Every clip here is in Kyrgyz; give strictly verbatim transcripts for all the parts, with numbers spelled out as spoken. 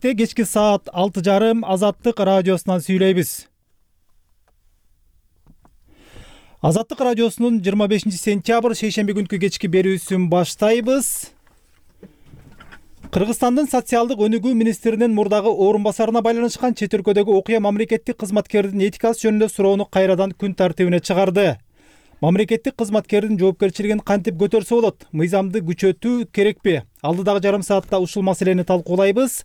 Кечки саат алты жарым Азаттык радиосунан сүйлөйбүз. Азаттык радиосунун жыйырма бешинчи сентябрь шейшемби күнкү кечки берүүсүн баштайбыз. Кыргызстандын социалдык өнүгүү министринин мурдагы орун басарына байланышкан чет өлкөдөгү окуя мамлекеттик кызматкердин этикасы жөнүндө суроону кайрадан күн тартибине чыгарды. Мамлекеттик кызматкердин жоопкерчилигин кантип көтөрсө болот? Мыйзамды күчөтүү керекпи? Алдыдагы жарым саатта ушул маселени талкуулайбыз.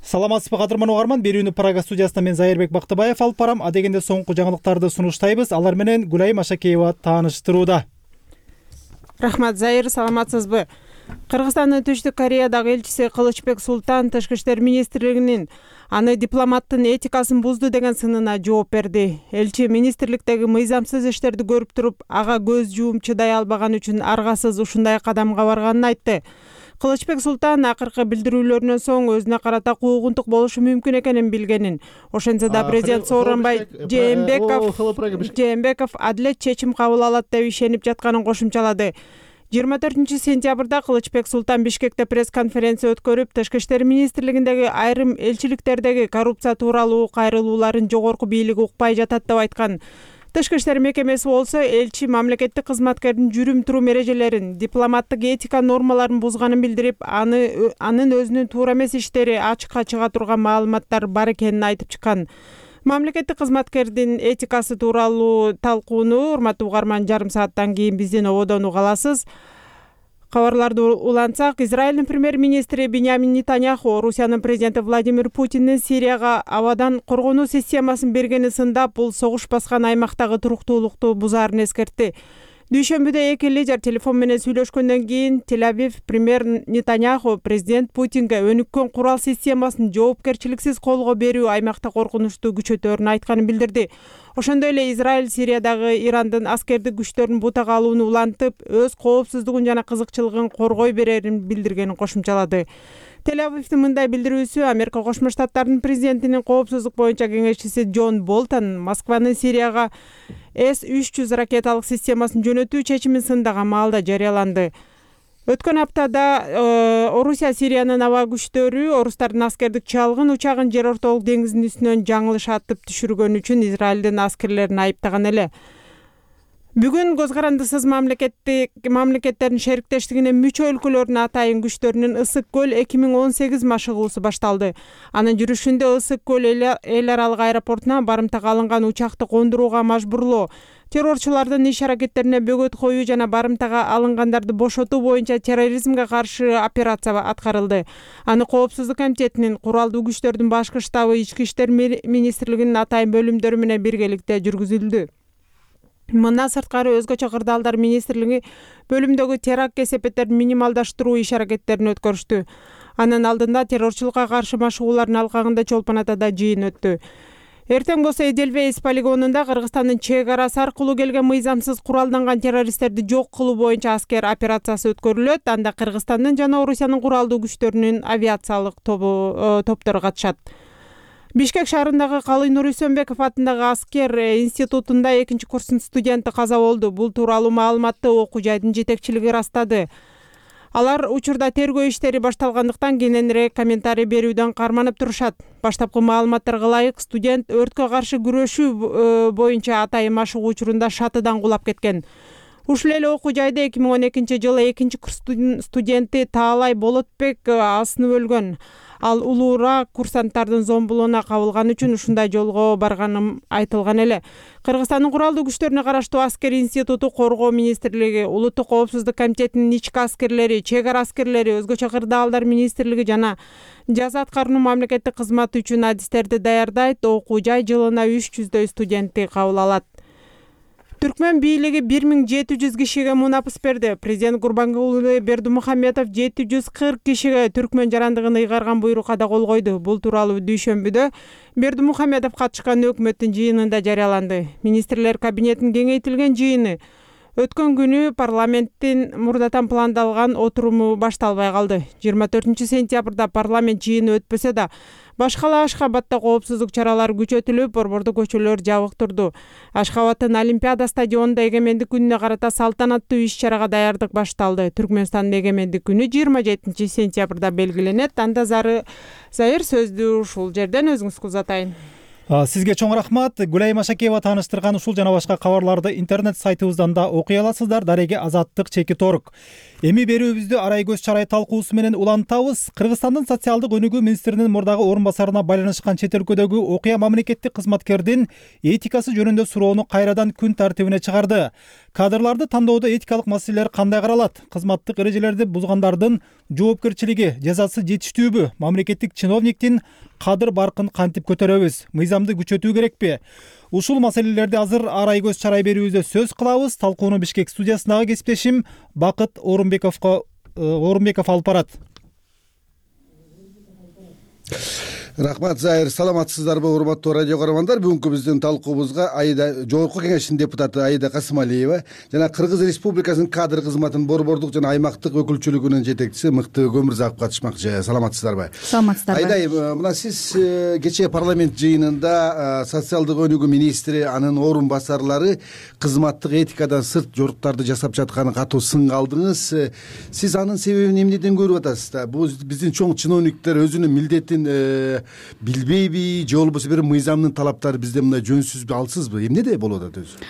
Саламатсызбы кадырман угарман, берүүнү Прага студиясынан мен Зайырбек Бактыбаев алып барам. Адегенде соңку жаңылыктарды сунуштайбыз. Алар менен Гүлайым Ашакеева тааныштырууда. Рахмат, Зайыр, саламатсызбы? Кыргызстандын Түштүк Кореядагы элчиси Кылычбек Султан Тышкы иштер министрлигинин аны дипломаттын этикасын бузду деген сынына жооп берди. Элчи министрликтеги мыйзамсыз иштерди көрүп туруп, ага көз жууп чыдай албаган үчүн аргасыз ушундай кадамга барганын айтты. Кылычбек Султан акыркы билдирүүлөрүнөн соң өзүнө карата куугунтук болушу мүмкүн экенин билгенин, ошентсе да президент Сооронбай Жээнбеков адилет чечим кабыл алат деп ишенип жатканын кошумчалады. жыйырма төртүнчү сентябрда Кылычбек Султан Бишкекте пресс-конференция өткөрүп, Тышкы иштер министрлигиндеги айрым элчиликтердеги коррупция тууралуу кайрылууларын жогорку бийлик укпай жатат деп айткан. Тышкы иштер мекемеси болсо элчи мамлекеттик кызматкердин жүрүм-турум эрежелерин, дипломаттык этика нормаларын бузганын билдирип, аны анын өзүнүн туура эмес иштери ачыкка чыга турган маалыматтар бар экенин айтып чыккан. Мамлекеттик кызматкердин этикасы тууралуу талкууну, урматтуу угарман, жарым сааттан кийин биздин ободон уга аласыз. Кабарларды улантсак, Израилдин премьер-министри Биньямин Нетаньяху Орусиянын президенти Владимир Путиндин Сирияга абадан коргонуу системасын бергени сындап, бул согуш баскан аймактагы туруктуулукту бузаарын эскертти. Дүйшөмбүдө эки лидер телефон менен сүйлөшкөндөн кийин Тель-Авив премьер Нетаньяху президент Путинге өнүккөн курал системасын жоопкерчиликсиз колго берүү аймакта коркунучту күчөтөөрүн айтканын билдирди. Ошондой эле Израиль Сириядагы Ирандын аскердик күчтөрүн бутага алууну улантып, өз коопсуздугун жана кызыкчылыгын коргой берерин билдиргенин кошумчалады. Тель-Авивдин мындай билдирүүсү Америка Кошмо Штаттарынын президентинин коопсуздук боюнча кеңешчиси Джон Болтон Москванын Сирияга эс үч жүз ракеталык системасын жөнөтүү чечимин сындаган маалда жарыяланды. Өткөн аптада Орусия Сириянын аба күчтөрү орустардын аскердик чалгын учагын жер ортолук деңиздин үстүнөн жаңылыш атып түшүргөн үчүн Израилдин аскерлерин айыптаган эле. Бүгүн көз карандысыз мамлекеттик мамлекеттердин шериктештигине мүчө өлкөлөрдүн атайын күчтөрүнүн Ысык көл эки миң он сегиз машыгуусу башталды. Анын жүрүшүндө Ысык көл эл аралык аэропортуна барымтага алынган учакты кондурууга мажбурлоо, террорчулардын иш аракеттерине бөгөт коюу жана барымтага алынгандарды бошотуу боюнча терроризмге каршы операция аткарылды. Аны Коопсуздук комитетинин, куралдуу күчтөрдүн башкы штабы, Ички иштер министрлигинин атайын бөлүмдөрү менен биргеликте жүргүзүлдү. Мындан сырткары өзгөчө кырдаалдар министрлиги бөлүмдөгү теракт кесепеттерин минималдаштыруу иш аракеттерин өткөрүштү. Анын алдында террорчулукка каршы машыгуулардын алкагында Чолпон Атада жыйын өттү. Эртең болсо Эделвейс полигонунда Кыргызстандын чек арасы аркылуу келген мыйзамсыз куралданган террористтерди жок кылуу боюнча аскер операциясы өткөрүлөт. Анда Кыргызстандын жана Орусиянын куралдуу күчтөрүнүн авиациялык топтору катышат. Бишкек шаарындагы Калый Нур Үсөнбеков атындагы аскер институтунда экинчи курстун студенти каза болду. Бул тууралуу маалыматты окуу жайдын жетекчилиги ырастады. Алар учурда тергөө иштери башталгандыктан кененирээк комментарий берүүдөн карманып турушат. Баштапкы маалыматтарга ылайык, студент өрткө каршы күрөшүү боюнча атайын машыгуу учурунда шатыдан кулап кеткен. Ушул эле окуу жайда эки миң он экинчи жылы экинчи курстун студенти Таалай Болотбек асынып өлгөн. Ал улуураак курсанттардын зомбулугуна кабылган үчүн ушундай жолго барганым айтылган эле. Кыргызстандын куралдуу күчтөрүнө караштуу аскер институту, Коргоо министрлиги, Улуттук коопсуздук комитетинин ички аскерлери, чек ара аскерлери, өзгөчө кырдаалдар министрлиги жана жаза аткаруу мамлекеттик кызматы үчүн адистерди даярдайт. Окуу жай жылына үч жүздөй студентти кабыл алат. Түркмөн бийлиги бир миң жети жүз кишиге мунапыс берди. Президент Гурбангулы Бердимухамедов жети жүз кырк кишиге түркмөн жарандыгын ыйгарган буйрукка да кол койду. Бул тууралуу дүйшөмбүдө Бердимухамедов катышкан өкмөттүн жыйынында жарыяланды. Министрлер кабинетинин кеңейтилген жыйыны Өткөн күнү парламенттин мурдатан пландалган отуруму башталбай калды. жыйырма төртүнчү сентябрда парламент жыйыны өтпөсө да, башкала Ашхабадда коопсуздук чаралары күчөтүлүп, борбордуу көчөлөр жабык турду. Ашхабадтын Олимпиада стадионунда эгемендик күнүнө карата салтанаттуу иш-чарага даярдык башталды. Түркмөнстандын эгемендик күнү жыйырма жетинчи сентябрда белгиленет. Анда зары Зайыр сөздү ушул жерден өзүңүзгө узатайын. Сизге чоң рахмат. Гүлай Машакеева тааныштырган ушул жана башка кабарларды интернет сайтыбыздан да окуй аласыздар. Дареге Азаттык чеки торг. Эми берүүбүздү арай көз чарай талкуусу менен улантабыз. Кыргызстандын социалдык өнүгүү министринин мурдагы орун басарына байланышкан чет өлкөдөгү окуя мамлекеттик кызматкердин этикасы жөнүндө суроону кайрадан күн тартибине чыгарды. Кадрларды тандоодо этикалык маселелер кандай каралат? Кызматтык эрежелерди бузгандардын жоопкерчилиги, жазасы жетиштүүбү? Мамлекеттик чиновниктин кадыр баркын кантип көтөрөбүз? Мыйзамды күчөтүү керекпи? Ушул маселелерди азыр арай көз чарай берүүбүздө сөз кылабыз. Талкууну Бишкек студиясындагы кесиптешим Бакыт Орунбековго Орунбеков алып барат. Рахмат, Зайыр. Саламатсыздарбы, урматтуу радио көрөрмандар? Бүгүнкү биздин талкуубузга Аида Жогорку Кеңештин депутаты Аида Касымалиева жана Кыргыз Республикасынын кадр кызматынын борбордук жана аймактык өкүлчүлүгүнүн жетекчиси Мыкты Көмүрзаков катышмакчы. Саламатсыздарбы? Саламатсыздарбы. Айдай, мына сиз кечээ парламент жыйынында социалдык өнүгүү министри, анын орун басарлары кызматтык этикадан сырт жоруктарды жасап жатканын катуу сынга алдыңыз. Сиз анын себебин эмнеден көрүп атасыз да? Бул биздин чоң чиновниктер өзүнүн милдетин билбейби, же болбосо бир мыйзамдын талаптары бизде мындай жөнсүзбү, алсызбы? Эмнеде болуп атат өзү?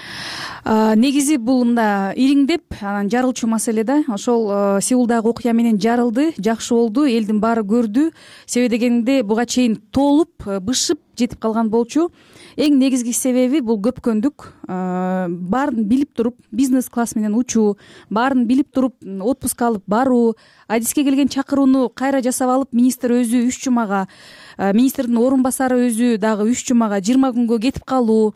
Негизи бул мында ириңдеп анан жарылчу маселе да. Ошол Сеулдагы окуя менен жарылды, жакшы болду, элдин баары көрдү. Себеби дегенде буга чейин толуп, бышып жетип калган болчу. Эң негизги себеби бул көпкөндүк. Баарын билип туруп, бизнес класс менен учуу, баарын билип туруп, отпуск алып баруу, адиске келген чакырууну кайра жасап алып, министр өзү үч жумага, министрдин орун басары өзү дагы үч жумага, жыйырма күнгө кетип калуу.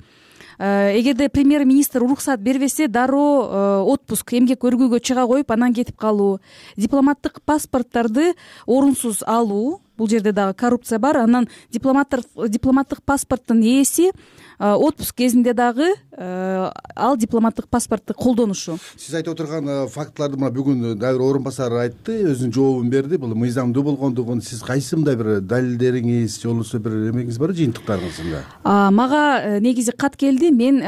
Эгерде премьер-министр уруксат бербесе, дароо отпуск, эмгек өргүүгө чыга коюп, анан кетип калуу. Дипломаттык паспорттарды орунсуз алуу. Бул жерде дагы коррупция бар. Анан дипломаттык паспорттун ээси отпуск кезинде дагы ал дипломаттык паспортты колдонушу. Сиз айтып отурган фактыларды мына бүгүн дагы орун басары айтты, өзүнүн жообун берди. Бул мыйзамдуу болгондугун сиз кайсы мындай бир далилдериңиз, же болбосо бир эмеңиз барбы, жыйынтыктарыңыз? Мага негизи кат келди. Мен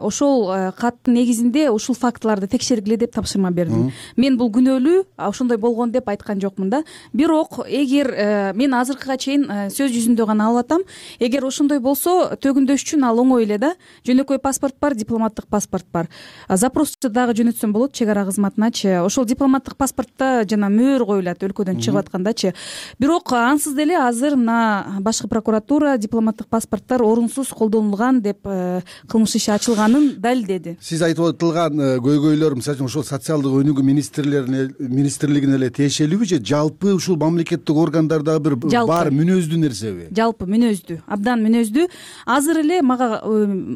ошол каттын негизинде ушул фактыларды текшергиле деп тапшырма бердим. Мен бул күнөөлүү, ошондой болгон деп айткан жокмун да. Бирок эгер мен азыркыга чейин сөз жүзүндө гана алып атам, эгер ошондой болсо төгүндөш үчүн ал оңой эле да. Жөнөкөй паспорт бар, дипломаттык паспорт бар. Запросчу дагы жөнөтсөм болот чек ара кызматыначы. Ошол дипломаттык паспортто жана мөөр коюлат өлкөдөн чыгып аткандачы. Бирок ансыз деле азыр мына башкы прокуратура дипломаттык паспорттор орунсуз колдонулган деп кылмыш иши ачылганын далилдеди. Сиз айтып отурган көйгөйлөр, мисалы ошол социалдык өнүгүү министрлерине министрлигине эле тиешелүүбү же жалпы ушул мамлекеттик органдарда бир бар мүнөздүү нерсеби? Жалпы мүнөздүү, абдан мүнөздүү. Азыр эле мага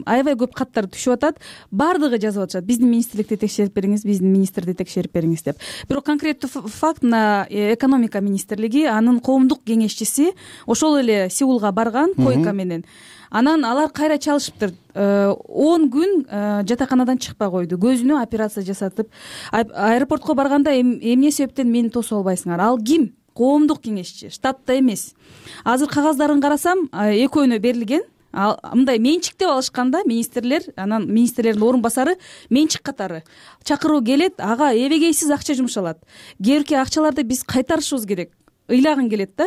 аябай көп каттар түшүп атат. Бардыгы жазып атышат. Биздин министрликти текшерип бериңиз, биздин министрди текшерип бериңиз деп. Бирок конкреттүү факт мына экономика министрлиги, анын коомдук кеңешчиси ошол эле Сеулга барган койка менен. Анан алар кайра чалышыптыр. он күн жатаканадан чыкпай койду. Көзүнө операция жасатып, аэропортко барганда эмне себептен мени тосуп албайсыңар? Ал ким? Коомдук кеңешчи, штатта эмес. Азыр кагаздарын карасам, экөөнө берилген. Мындай менчик деп алышканда министрлер, анан министрлердин орун басары менчик катары. Чакыруу келет, ага эбегейсиз акча жумшалат. Кээки акчаларды биз кайтарышыбыз керек. Ыйлагын келет да.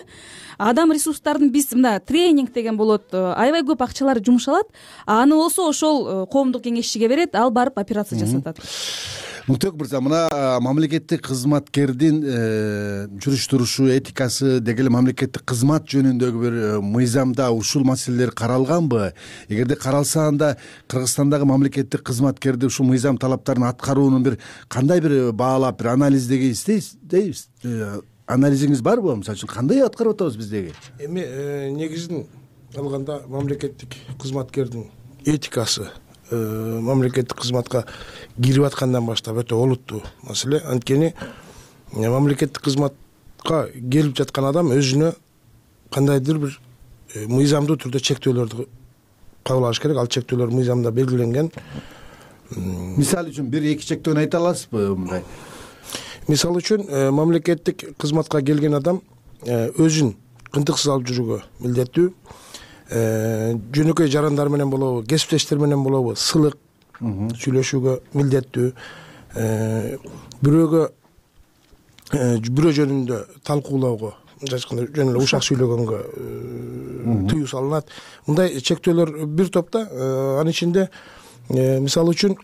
Адам ресурстарын биз мында тренинг деген болот, аябай көп акчалар жумшалат. Аны болсо ошол коомдук кеңешчиге берет, ал барып операция жасатат. Муктөк мырза, мына мамлекеттик кызматкердин жүрүш турушу, этикасы, деги эле мамлекеттик кызмат жөнүндөгү бир мыйзамда ушул маселелер каралганбы? Эгерде каралса, анда Кыргызстандагы мамлекеттик кызматкерди ушул мыйзам талаптарын аткаруунун бир кандай бир баалап, бир анализдеги дейбиз? Анализиңиз барбы? Мисалы үчүн кандай аткарып атабыз биздеги? Эми негизин алганда мамлекеттик кызматкердин этикасы мамлекеттик кызматка кирип аткандан баштап өтө олуттуу маселе. Анткени мамлекеттик кызматка келип жаткан адам өзүнө кандайдыр бир мыйзамдуу түрдө чектөөлөрдү кабыл алыш керек. Ал чектөөлөр мыйзамда белгиленген. мисалы үчүн бир эки чектөөнү айта аласызбы мындай? Мисалы үчүн мамлекеттик кызматка келген адам өзүн кынтыксыз алып жүрүүгө милдеттүү, жөнөкөй жарандар менен болобу, кесиптештер менен болобу сылык сүйлөшүүгө милдеттүү, бирөөгө бирөө жөнүндө талкуулоого, мынча айтканда жөн эле ушак сүйлөгөнгө тыюу салынат. Мындай чектөөлөр бир топта. Анын ичинде мисалы үчүн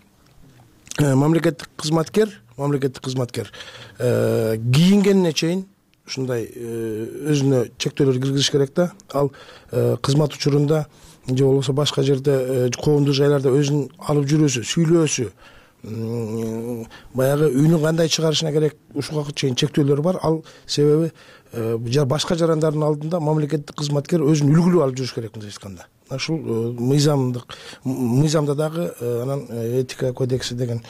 мамлекеттик кызматкер мамлекеттик кызматкер кийингенине чейин ушундай өзүнө чектөөлөр киргизиш керек да. Ал кызмат учурунда же болбосо башка жерде коомдук жайларда өзүн алып жүрүүсү, сүйлөөсү, баягы үнүн кандай чыгарышына керек ушуга чейин чектөөлөр бар. Ал себеби башка жарандардын алдында мамлекеттик кызматкер өзүн үлгүлүү алып жүрүш керек, мынча айтканда. Ушул мыйзамдык мыйзамда дагы анан этика кодекси деген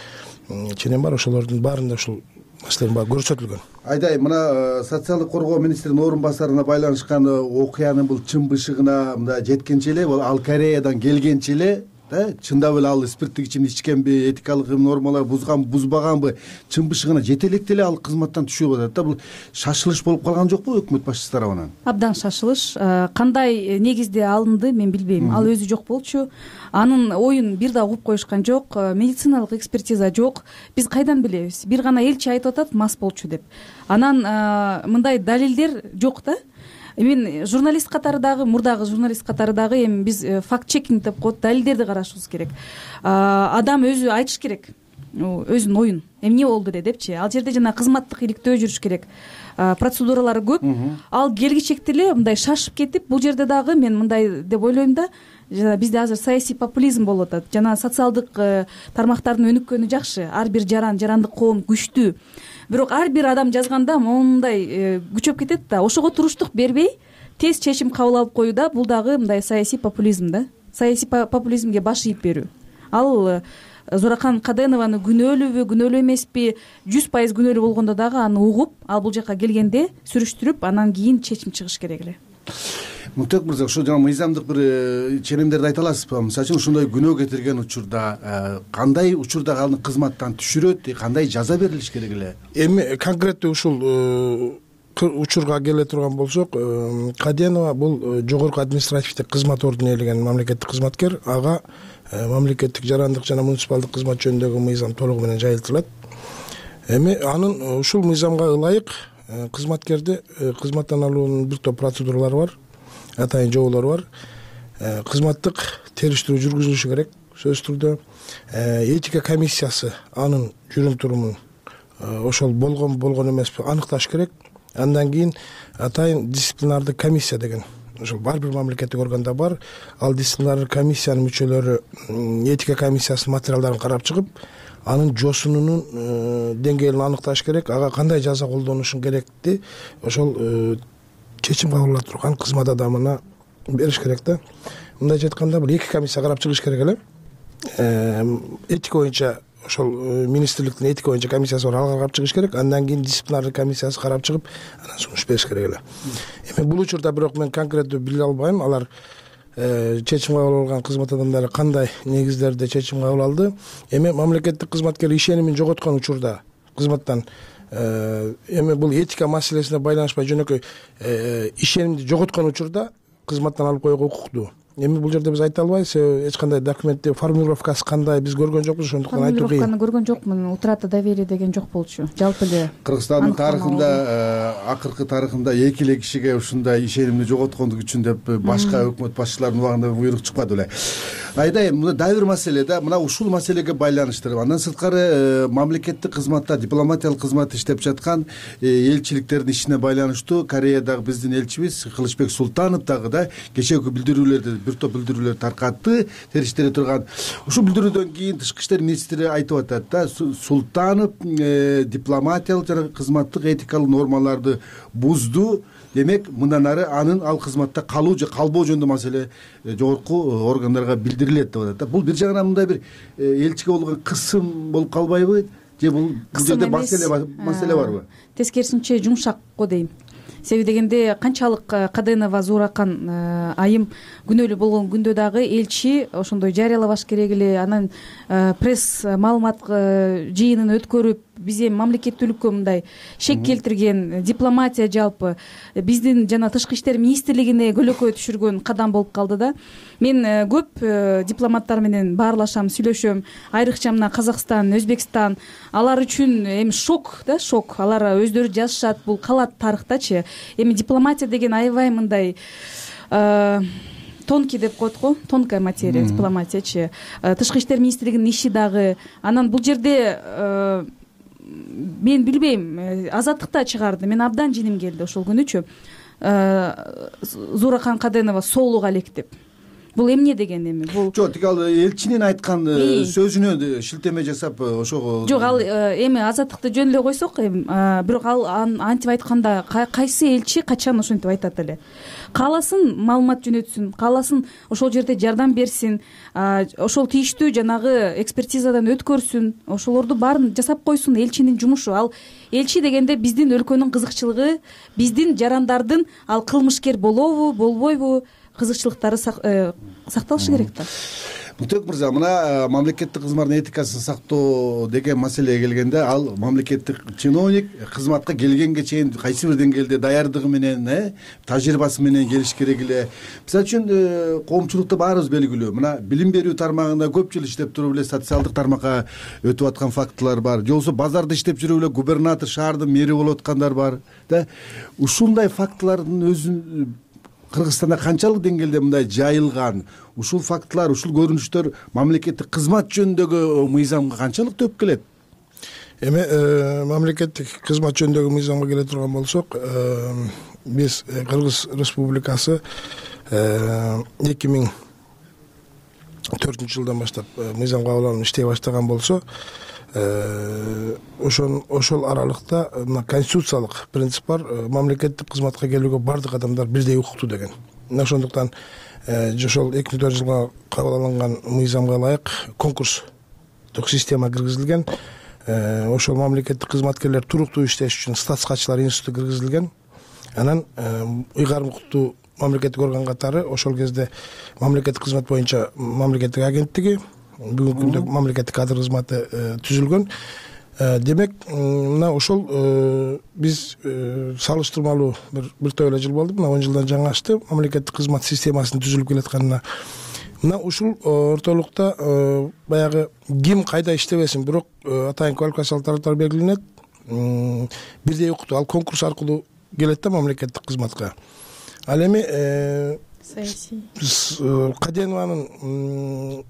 ченем бар, ошолордун баарында ушул маселенин баары көрсөтүлгөн. Айдай, мына социалдык коргоо министринин орун басарына байланышкан окуянын бул чын бышыгына мында жеткенче эле, ал Кореядан келгенче эле да, чындап эле ал спирттик ичимди ичкенби, этикалык нормалар бузган бузбаганбы, чын бышыгына жете электе эле ал кызматтан түшүп атат да. Бул шашылыш болуп калган жокпу өкмөт башчысы тарабынан? Абдан шашылыш. Кандай негизде алынды мен билбейм. Ал өзү жок болчу. Анын оюн бир да угуп коюшкан жок, медициналык экспертиза жок. Биз кайдан билебиз? Бир гана элчи айтып атат мас болчу деп. Анан мындай далилдер жок да. Мен журналист катары дагы, мурдагы журналист катары дагы эми биз факт чекинг деп коет, далилдерди карашыбыз керек. Адам өзү айтыш керек өзүнүн оюн. Эмне болду эле депчи. Ал жерде жана кызматтык иликтөө жүрүш керек. Процедуралары көп. Ал келгичекти эле мындай шашып кетип, бул жерде дагы мен мындай деп ойлойм да, жана бизде азыр саясий популизм болуп атат. Жана социалдык тармактардын өнүккөнү жакшы. Ар бир жаран, жарандык коом күчтүү. Бирок ар бир адам жазганда мондай күчөп кетет да. Ошого туруштук бербей, тез чечим кабыл алып коюуда бул дагы мындай саясий популизм да. Саясий популизмге баш ийип берүү. Ал Зоракан Каденованы күнөөлүүбү, күнөөлүү эмеспи, жүз пайыз күнөөлүү болгондо дагы аны угуп, ал бул жака келгенде сүрүштүрүп, анан кийин чечим чыгыш керек эле. Мунтек мырза, ошо жана мыйзамдык бир ченемдерди айта аласызбы? Мисалы үчүн ушундай күнөө кетирген учурда кандай учурда аны кызматтан түшүрөт, кандай жаза берилиш керек эле? Эми конкреттүү ушул учурга келе турган болсок, Каденова бул жогорку административдик кызмат ордуна ээлеген мамлекеттик кызматкер. Ага мамлекеттик жарандык жана муниципалдык кызмат жөнүндөгү мыйзам толугу менен жайылтылат. Эми анын ушул мыйзамга ылайык кызматкерди кызматтан алуунун бир топ процедуралары бар, атайын жоболору бар. Кызматтык териштирүү жүргүзүлүшү керек сөзсүз түрдө. Этика комиссиясы анын жүрүм турумун ошол болгон болгон эмеспи аныкташ керек. Андан кийин атайын дисциплинардык комиссия деген ошол бар бир мамлекеттик органда бар. Ал дисциплинардык комиссиянын мүчөлөрү этика комиссиясынын материалдарын карап чыгып, анын жосунунун деңгээлин аныкташ керек. Ага кандай жаза колдонушун керекти ошол чечим кабыл ала турган кызмат адамына бериш керек да. Мындайча айтканда бул эки комиссия карап чыгыш керек эле. Этика боюнча ошол министрликтин этика боюнча комиссиясы бар, ал карап чыгыш керек. Андан кийин дисциплинардык комиссиясы карап чыгып, анан сунуш бериш керек эле. Эми бул учурда бирок мен конкреттүү биле албайм. Алар чечим кабыл алган кызмат адамдары кандай негиздерде чечим кабыл алды. Эми мамлекеттик кызматкер ишенимин жоготкон учурда кызматтан эми бул этика маселесине байланышпай жөнөкөй ишенимди жоготкон учурда кызматтан алып коюуга укуктуу. Эми бул жерде биз айта албайбыз, эч кандай документте формулировкасы кандай биз көргөн жокпуз, ошондуктан айтуу кыйын. Формулировканы көргөн жокмун, утрата доверие деген жок болчу. Жалпы эле Кыргызстандын тарыхында, акыркы тарыхында эки эле кишиге ушундай ишенимди жоготкондук үчүн деп башка өкмөт башчыларынын убагында буйрук чыкпады беле. Айдай, мына дагы бир маселе да, мына ушул маселеге байланыштырып, андан сырткары мамлекеттик кызматта, дипломатиялык кызматта иштеп жаткан элчиликтердин ишине байланыштуу Кореядагы биздин элчибиз Кылычбек Султанов дагы да кечээки билдирүүлөрдү бир топ билдирүүлөр таркатты, териштире турган. Ушул билдирүүдөн кийин тышкы иштер министри айтып атат да, Султанов дипломатиялык жана кызматтык этикалык нормаларды бузду. Демек, мындан ары анын ал кызматта калуу же калбоо жөнүндө маселе жогорку органдарга билдирилет деп атат да. Бул бир жагынан мындай бир элчиге болгон кысым болуп калбайбы? Же бул жерде маселе маселе барбы? Тескерисинче жумшак го дейм. себеби дегенде канчалык Каденова Зууракан айым күнөөлүү болгон күндө дагы элчи ошондой жарыялабаш керек эле, анан пресс маалымат жыйынын өткөрүп биз эми мамлекеттүүлүккө мындай шек келтирген, дипломатия жалпы биздин жана тышкы иштер министрлигине көлөкө түшүргөн кадам болуп калды да. Мен көп дипломаттар менен баарлашам, сүйлөшөм, айрыкча мына Казакстан, Өзбекстан, алар үчүн эми шок да, шок. Алар өздөрү жазышат, бул калат тарыхтачы. Эми дипломатия деген аябай мындай тонкий деп коет го, тонкая материя дипломатиячы. Тышкы иштер министрлигинин иши дагы. Анан бул жерде мен билбейм, азаттыкта чыгарды. Мен абдан жиним келди ошол күнүчү. Зууракан Каденова соолук алектеп. Бул эмне деген эми? Бул жок, тиги ал элчинин айткан сөзүнө шилтеме жасап ошого. Жок, ал эми азаттыкты жөн эле койсок, эми бирок ал антип айтканда кайсы элчи качан ошентип айтат эле? Кааласын маалымат жөнөтсүн, кааласын ошол жерде жардам берсин, ошол тийиштүү жанагы экспертизадан өткөрсүн, ошолорду баарын жасап койсун. Элчинин жумушу ал. Элчи дегенде биздин өлкөнүн кызыкчылыгы, биздин жарандардын ал кылмышкер болобу, болбойбу кызыкчылыктары сакталышы керек да. Муктек мырза, мына мамлекеттик кызматтын этикасын сактоо деген маселеге келгенде, ал мамлекеттик чиновник кызматка келгенге чейин кайсы бир деңгээлде даярдыгы менен, тажрыйбасы менен келиш керек эле. Мисалы үчүн коомчулукта баарыбыз белгилүү, мына билим берүү тармагында көп жыл иштеп туруп эле социалдык тармакка өтүп аткан фактылар бар. Же болбосо базарда иштеп жүрүп эле губернатор, шаардын мэри болуп аткандар бар да. Ушундай фактылардын өзүн Кыргызстанда канчалык деңгээлде мындай жайылган, ушул фактылар, ушул көрүнүштөр мамлекеттик кызмат жөнүндөгү мыйзамга канчалык төп келет? Эми мамлекеттик кызмат жөнүндөгү мыйзамга келе турган болсок, биз Кыргыз Республикасы эки миң төртүнчү жылдан баштап мыйзам кабыл алынып иштей баштаган болсо, ошон ошол аралыкта мына конституциялык принцип бар, мамлекеттик кызматка келүүгө бардык адамдар бирдей укуктуу деген. Мына ошондуктан ошол эки миң төртүнчү жылга кабыл алынган мыйзамга ылайык конкурстук система киргизилген. Ошол мамлекеттик кызматкерлер туруктуу иштеш үчүн статскачылар институту киргизилген. Анан ыйгарым укуктуу мамлекеттик орган катары ошол кезде мамлекеттик кызмат боюнча мамлекеттик агенттиги, бүгүнкү күндө мамлекеттик кадр кызматы түзүлгөн. Демек, мына ошол биз салыштырмалуу бир топ эле жыл болду, мына он жылдан жаңашты мамлекеттик кызмат системасынын түзүлүп келатканына. Мына ушул ортолукта баягы ким кайда иштебесин, бирок атайын квалификациялык тараптар белгиленет, бирдей укуктуу, ал конкурс аркылуу келет да мамлекеттик кызматка. Ал эми Каденованын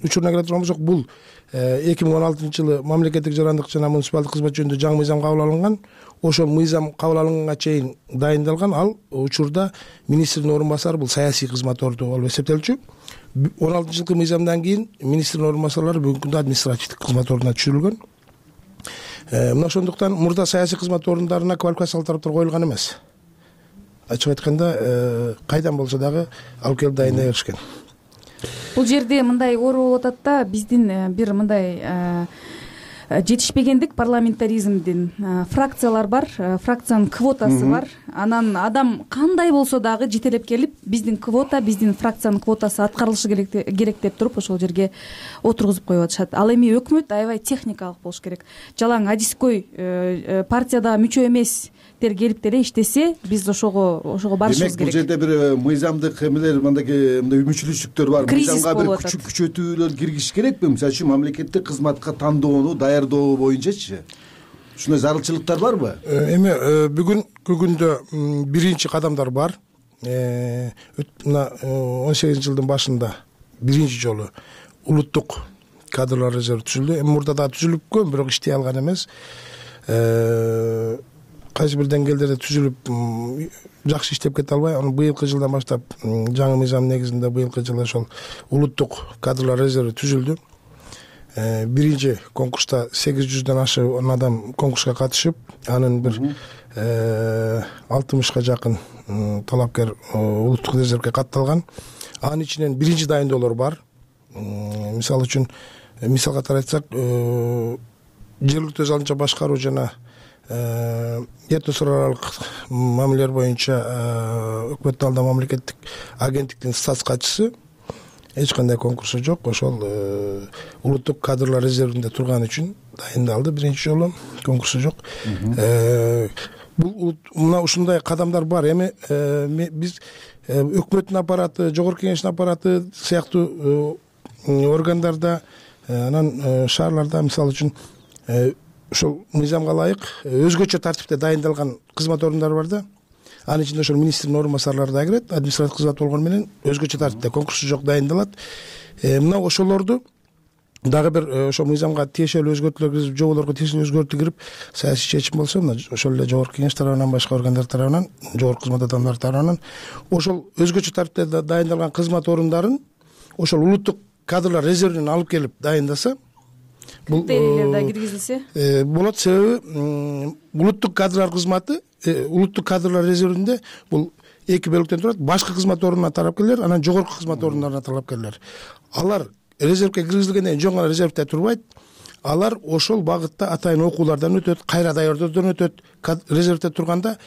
учуруна келе турган болсок, бул эки миң он алтынчы жылы мамлекеттик жарандык жана муниципалдык кызмат жөнүндө жаңы мыйзам кабыл алынган. Ошол мыйзам кабыл алынганга чейин дайындалган. Ал учурда министрдин орун басары бул саясий кызмат орду болуп эсептелчү. он алтынчы жылкы мыйзамдан кийин министрдин орун басарлары бүгүнкү күндө административдик кызмат ордуна түшүрүлгөн. Мына ошондуктан мурда саясий кызмат орундарына квалификациялык тараптар коюлган эмес. Ачык айтканда, кайдан болсо дагы алып келип дайындай беришкен. Бул жерде мындай оор болуп атат да, биздин бир мындай жетишпегендик парламентаризмдин. Фракциялар бар, фракциянын квотасы бар. Анан адам кандай болсо дагы жетелеп келип, биздин квота, биздин фракциянын квотасы аткарылышы керек деп туруп ошол жерге отургузуп коюп атышат. Ал эми өкмөт аябай техникалык болуш керек. Жалаң адискөй партияда мүчө эмес тер келип деле иштесе, биз ошого ошого барышыбыз керек. Демек, бул жерде бир мыйзамдык эмелер, мындай мындай үмүтчүлүктөр бар. Мыйзамга бир күчү күчөтүүлөр киргизиш керекпи? Мисалы үчүн мамлекеттик кызматка тандоону даярдоо боюнчачы ушундай зарылчылыктар барбы? Эми бүгүнкү күндө биринчи кадамдар бар. Мына он сегизинчи жылдын башында биринчи жолу улуттук кадрлар резерви түзүлдү. Эми мурда да түзүлүпкөн, бирок иштей алган эмес. Кайсы бир деңгээлдерде түзүлүп жакшы иштеп кете албай, аны быйылкы жылдан баштап жаңы мыйзам негизинде быйылкы жылы ошол улуттук кадрлар резерви түзүлдү. Биринчи конкурста сегиз жүздөн ашык адам конкурска катышып, анын бир алтымышка жакын талапкер улуттук резервге катталган. Анын ичинен биринчи дайындоолор бар. Мисалы үчүн, мисал катары айтсак, жергиликтүү өз алдынча башкаруу жана этносул аралык мамилелер боюнча өкмөттүн алдында мамлекеттик агенттиктин статс катчысы эч кандай конкурсу жок. Ошол улуттук кадрлар резервинде турган үчүн дайындалды. Биринчи жолу конкурсу жок. Бул мына ушундай кадамдар бар. Эми биз өкмөттүн аппараты, жогорку кеңештин аппараты сыяктуу органдарда, анан шаарларда мисалы үчүн ошол мыйзамга ылайык өзгөчө тартипте дайындалган кызмат орундары бар да. Анын ичинде ошол министрдин орун басарлары да кирет. Административдик кызмат болгону менен өзгөчө тартипте конкурсу жок дайындалат. Мына ошолорду дагы бир ошол мыйзамга тиешелүү өзгөртүүлөр киргизип, жоболорго тиешелүү өзгөртүү кирип, саясий чечим болсо, мына ошол эле жогорку кеңеш тарабынан, башка органдар тарабынан, жогорку кызмат адамдары тарабынан ошол өзгөчө тартипте дайындалган кызмат орундарын ошол улуттук кадрлар резервинен алып келип дайындаса, бул критерийлер да киргизилсе болот. Себеби улуттук кадрлар кызматы, улуттук кадрлар резервинде бул эки бөлүктөн турат. Башкы кызмат орунуна талапкерлер, анан жогорку кызмат орундарына талапкерлер. Алар резервге киргизилгенден кийин жөн гана резервде турбайт. Алар ошол багытта атайын окуулардан өтөт, кайра даярдоодон өтөт. Резервде турганда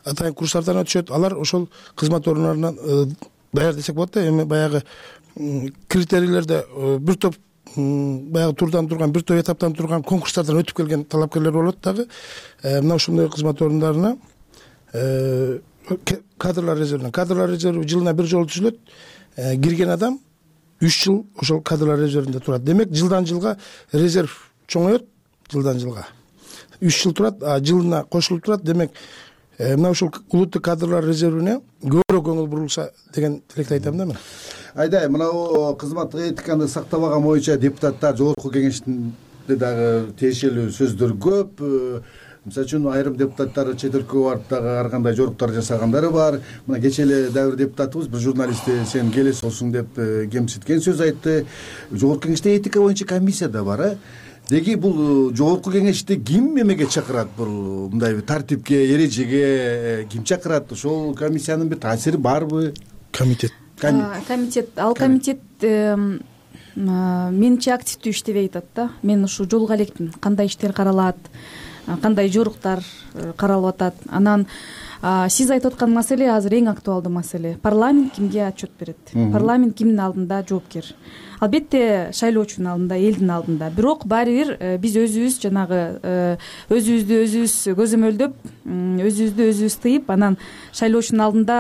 атайын курстардан өтүшөт. Алар ошол кызмат орундарынан даяр десек болот да. Эми баягы критерийлерде бир топ баягы турдан турган, бир топ этаптан турган конкурстардан өтүп келген талапкерлер болот дагы. Мына ошондой кызмат орундарына кадрлар резервинен, кадрлар резерви жылына бир жолу түзүлөт. Кирген адам үч жыл ошол кадрлар резервинде турат. Демек, жылдан жылга резерв чоңоет, жылдан жылга үч жыл турат, а жылына кошулуп турат. Демек, мына ушул улуттук кадрлар резервине көбүрөөк көңүл бурулса деген тилекти айтам да мен. Айдай, мына кызматтык этиканы сактабаган боюнча депутаттар жогорку кеңештинде дагы тиешелүү сөздөр көп. Мисалы үчүн айрым депутаттар чет өлкөгө барып дагы ар кандай жоруктар жасагандары бар. Мына кечээ эле дагы бир депутатыбыз бир журналистти сен келесиңсиң деп кемситкен сөз айтты. Жогорку кеңеште этика боюнча комиссия да бар, э? Деги бул жогорку кеңешти ким эмеге чакырат? Бул мындай тартипке, эрежеге ким чакырат? Ошол комиссиянын бир таасири барбы? Комитет. Комитет, ал комитет менче активдүү иштебей атат да. Мен ушу жолуга элекмин. Кандай иштер каралат, кандай жоруктар каралып атат. Анан сиз айтып аткан маселе азыр эң актуалдуу маселе. Парламент кимге отчет берет? Парламент кимдин алдында жоопкер? Албетте шайлоочунун алдында, элдин алдында. Бирок баары бир биз өзүбүз жанагы өзүбүздү өзүбүз көзөмөлдөп, өзүбүздү өзүбүз тыйып, анан шайлоочунун алдында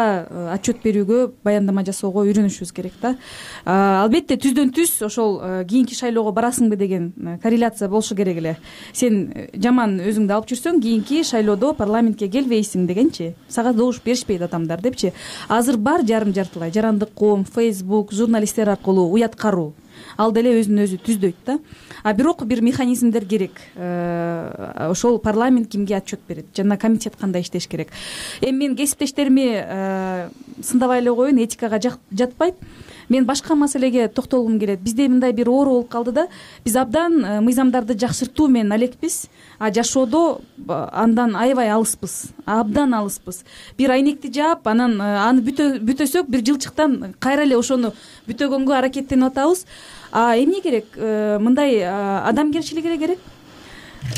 отчет берүүгө, баяндама жасоого үйрөнүшүбүз керек да. Албетте түздөн түз ошол кийинки шайлоого барасыңбы деген корреляция болушу керек эле. Сен жаман өзүңдү алып жүрсөң, кийинки шайлоодо парламентке келбейсиң дегенчи. Сага добуш беришпейт адамдар депчи. Азыр бар жарым жартылай жарандык коом, Facebook, журналисттер аркылуу уяткаруу. Ал деле өзүн өзү түздөйт да. А бирок бир механизмдер керек. Ошол парламент кимге отчет берет? Жана комитет кандай иштеш керек? Эми мен кесиптештерими сындабай эле коеюн, этикага жатпайт. Мен башка маселеге токтолгум келет. Бизде мындай бир оору болуп калды да. Биз абдан мыйзамдарды жакшыртуу менен алекпиз, а жашоодо андан аябай алыспыз. Абдан алыспыз. Бир айнекти жаап, анан аны бүтөсөк бир жылчыктан кайра эле ошону бүтөгөнгө аракеттенип атабыз. А эмне керек? Мындай адамгерчилиги керек.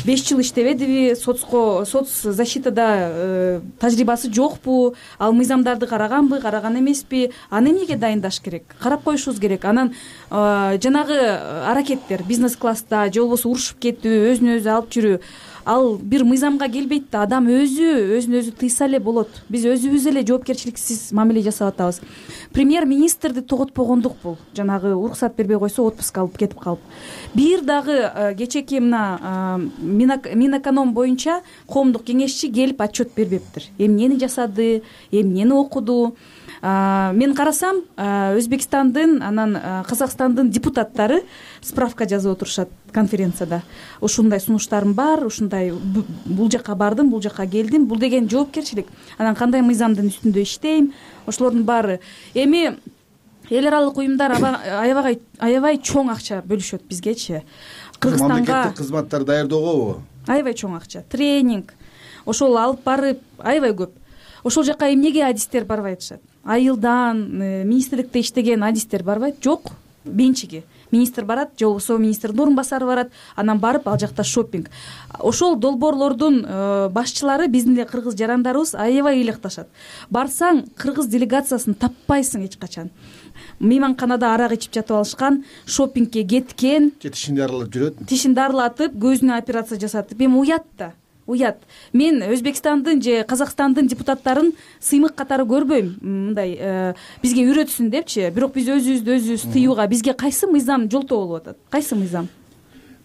беш жыл иштебедиби, соцко, соц защитада тажрыйбасы жокпу, ал мыйзамдарды караганбы, караган эмеспи, аны эмнеге дайындаш керек? Карап коюшубуз керек. Анан жанагы аракеттер, бизнес класста же болбосо урушуп кетүү, өзүн өзү алып жүрүү, ал бир мыйзамга келбейт да. Адам өзү өзүн өзү тыйса эле болот. Биз өзүбүз эле жоопкерчиликсиз мамиле жасап атабыз. Премьер-министрди тоготпогондук бул. Жанагы уруксат бербей койсо отпуск алып кетип калып. Бир дагы кечеки мына Минэконом боюнча коомдук кеңешчи келип отчет бербептир. Эмнени жасады, эмнени окуду. Мен карасам, Өзбекстандын, анан Казакстандын депутаттары справка жазып отурушат конференцияда. Ушундай сунуштарым бар, ушундай бул жака бардым, бул жака келдим. Бул деген жоопкерчилик. Анан кандай мыйзамдын үстүндө иштейм? Ошолордун баары. Эми эл аралык уюмдар аябай аябай чоң акча бөлүшөт бизгечи. Кыргызстанга мамлекеттик кызматтар даярдоого аябай чоң акча, тренинг, ошол алып барып аябай көп. Ошол жака эмнеге адистер барбай атышат? Айылдан министрликте иштеген адистер барбайт? Жок, бенчиги. министр барат же болбосо министрдин орун басары барат, анан барып ал жакта шопинг. Ошол долбоорлордун башчылары биздин эле кыргыз жарандарыбыз аябай ыйлыкташат. Барсаң кыргыз делегациясын таппайсың эч качан. Мейманканада арак ичип жатып алышкан, шопингке кеткен, тишин дарылап жүрөт. Тишин дарылатып, көзүнө операция жасатып. Эми уят да. Уят. Мен Өзбекстандын же Казакстандын депутаттарын сыймык катары көрбөйм. Мындай бизге үйрөтсүн депчи. Бирок биз өзүбүздү өзүбүз тыюуга бизге кайсы мыйзам жолтоо болуп атат? Кайсы мыйзам?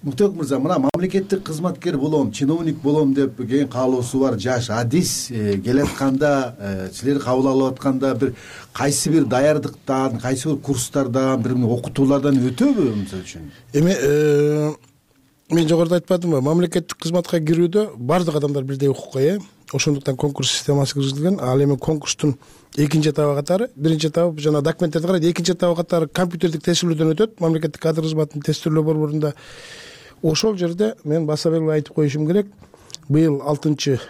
Муктар мырза, мына мамлекеттик кызматкер болом, чиновник болом деп кийин каалоосу бар жаш адис келатканда, силер кабыл алып атканда бир кайсы бир даярдыктан, кайсы бир курстардан, бир окутуулардан өтөбү мисалы үчүн? Эми мен жогоруда айтпадымбы, мамлекеттик кызматка кирүүдө баардык адамдар бирдей укукка ээ. Ошондуктан конкурс системасы киргизилген. Ал эми конкурстун экинчи этабы катары, биринчи этабы жана документтерди карайт, экинчи этабы катары компьютердик тестирөөдөн өтөт. Мамлекеттик кадр кызматынын тестирлөө борборунда. Ошол жерде мен баса берип айтып коюшум керек. Быйыл алтынчы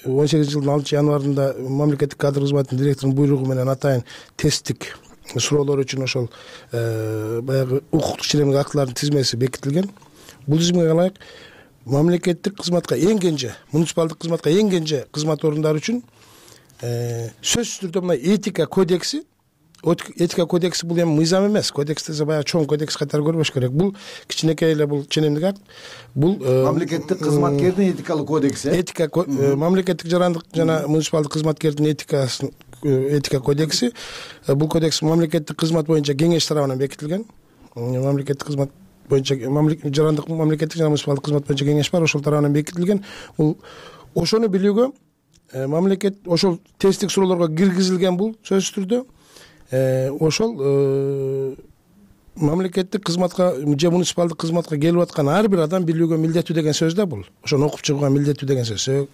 он сегизинчи жылдын алтынчы январында мамлекеттик кадр кызматынын директорунун буйругу менен атайын тесттик суроолор үчүн ошол баягы укуктук ченемдик актылардын тизмеси бекитилген. Бул тизимге ылайык мамлекеттик кызматка эң кенже, муниципалдык кызматка эң кенже кызмат орундары үчүн сөзсүз түрдө мына этика кодекси, этика кодекси бул эми мыйзам эмес, кодекс десе баягы чоң кодекс катары көрбөш керек. Бул кичинекей эле бул ченемдик акт. Бул мамлекеттик кызматкердин этикалык кодекси. Этика мамлекеттик жарандык жана муниципалдык кызматкердин этикасын этика кодекси. Бул кодекс мамлекеттик кызмат боюнча кеңеш тарабынан бекитилген. Мамлекеттик кызмат боюнча жарандык мамлекеттик жана муниципалдык кызмат боюнча кеңеш бар, ошол тарабынан бекитилген. Бул ошону билүүгө мамлекет ошол тесттик суроолорго киргизилген бул сөзсүз түрдө. Ошол мамлекеттик кызматка же муниципалдык кызматка келип аткан ар бир адам билүүгө милдеттүү деген сөз да бул. Ошону окуп чыгууга милдеттүү деген сөз.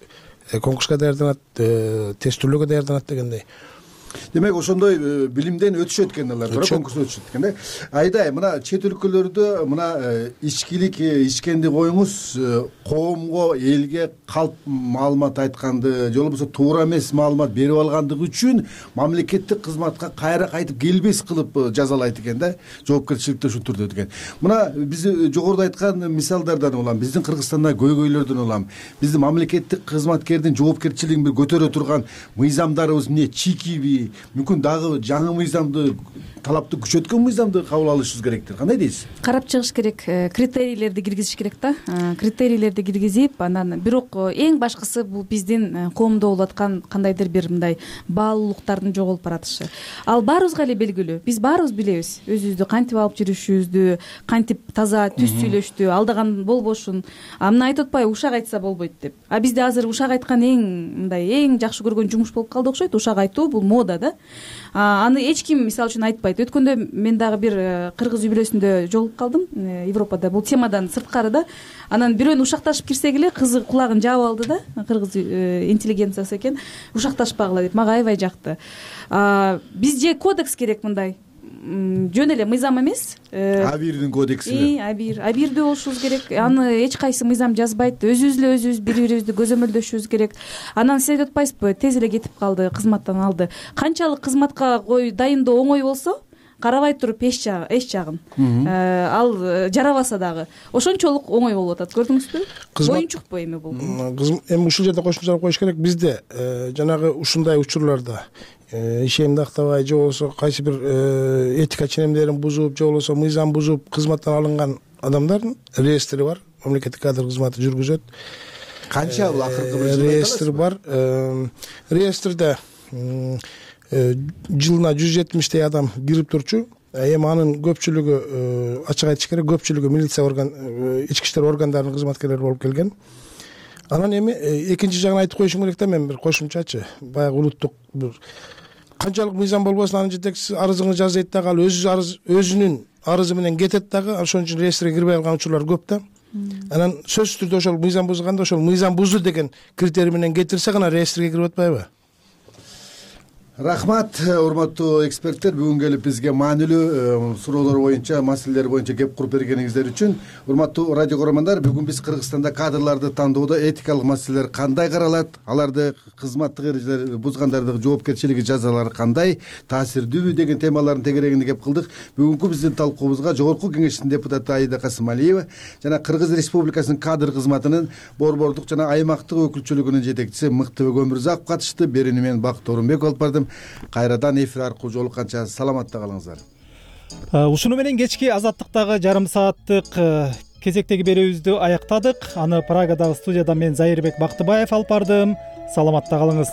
Конкурска даярданат, тестирлөөгө даярданат дегендей. Демек ошондой билимден өтүшөт экен алар, туура конкурстан өтүшөт экен да. Айдай, мына чет өлкөлөрдө мына ичкилик ичкенди коюңуз, коомго, элге калп маалымат айтканды, же болбосо туура эмес маалымат берип алгандыгы үчүн мамлекеттик кызматка кайра кайтып келбес кылып жазалайт экен да, жоопкерчиликти ушул түрдө экен. Мына биз жогоруда айткан мисалдардан улам, биздин Кыргызстанда көйгөйлөрдөн улам, биздин мамлекеттик кызматкердин жоопкерчилигин бир көтөрө турган мыйзамдарыбыз эмне чийкиби, мүмкүн дагы жаңы мыйзамды, талапты күчөткөн мыйзамды кабыл алышыбыз керектир. Кандай дейсиз? Карап чыгыш керек, критерийлерди киргизиш керек да. Критерийлерди киргизип, анан бирок эң башкысы бул биздин коомдо болуп аткан кандайдыр бир мындай баалуулуктардын жоголуп баратышы. Ал баарыбызга эле белгилүү. Биз баарыбыз билебиз өзүбүздү кантип алып жүрүшүбүздү, кантип таза түз сүйлөштү, алдаган болбошун. А мына айтып атпайбы, ушак айтса болбойт деп. А бизде азыр ушак айткан эң мындай эң жакшы көргөн жумуш болуп калды окшойт. Ушак айтуу бул мода да. Аны эч ким мисалы үчүн айтпайт. Өткөндө мен дагы бир кыргыз үй-бүлөсүндө жолугуп калдым, Европада. Бул темадан сырткары да. Анан бирөөнү ушакташып кирсек эле кызы кулагын жаап алды да. Кыргыз интеллигенциясы экен. Ушакташпагыла деп. Мага аябай жакты. Бизде кодекс керек мындай. Жөн эле мыйзам эмес. Абирдин кодекси. Абир, абирдүү болушубуз керек. Аны эч кайсы мыйзам жазбайт. Өзүбүз эле өзүбүз бири-бирибизди көзөмөлдөшүбүз керек. Анан сиз айтып атпайсызбы, тез эле кетип калды, кызматтан алды. Канчалык кызматка кой дайындоо оңой болсо, карабай туруп эч жагы, эч жагын. Ал жарабаса дагы ошончолук оңой болуп атат. Көрдүңүзбү? Оюнчукпу эми бул? Эми ушул жерде кошумчалап коюш керек. Бизде жанагы ушундай учурларда ишенимди актабай же болбосо кайсы бир этика ченемдерин бузуп же болбосо мыйзам бузуп кызматтан алынган адамдардын реестри бар. Мамлекеттик кадр кызматы жүргүзөт. Канча бул акыркы бир реестр бар. Реестрде жылына жүз жетимиштей адам кирип турчу. Эми анын көпчүлүгү, ачык айтыш керек, көпчүлүгү милиция орган, ички иштер органдарынын кызматкерлери болуп келген. Анан эми экинчи жагын айтып коюшум керек да, мен бир кошумчачы. Баягы улуттук бир канчалык мыйзам болбосун анын жетекчиси арызыңды жаз дейт дагы, ал өзү арыз өзүнүн арызы менен кетет дагы, ошон үчүн реестрге кирбей калган учурлар көп да. Анан сөзсүз түрдө ошол мыйзам бузганда, ошол мыйзам бузду деген критерий менен кетирсе гана реестрге кирип атпайбы? Рахмат, урматтуу эксперттер, бүгүн келип бизге маанилүү суроолор боюнча, маселелер боюнча кеп куруп бергениңиздер үчүн. Урматтуу радио көрөрмандар, бүгүн биз Кыргызстанда кадрларды тандоодо этикалык маселелер кандай каралат, аларды кызматтык эрежелер бузгандардын жоопкерчилиги, жазалары кандай, таасирдүүбү деген темалардын тегерегинде кеп кылдык. Бүгүнкү биздин талкуубузга Жогорку Кеңештин депутаты Аида Касымалиева жана Кыргыз Республикасынын кадр кызматынын борбордук жана аймактык өкүлчүлүгүнүн жетекчиси Мыктыбек Өмүрзаков катышты. Берүүнү мен Бакыт Орунбеков алып бардым. Кайрадан эфир аркылуу жолукканча саламатта калыңыздар. Ушуну менен кечки Азаттыктагы жарым сааттык кезектеги берүүбүздү аяктадык. Аны Прагадагы студияда мен Зайырбек Бактыбаев алып бардым. Саламатта калыңыз.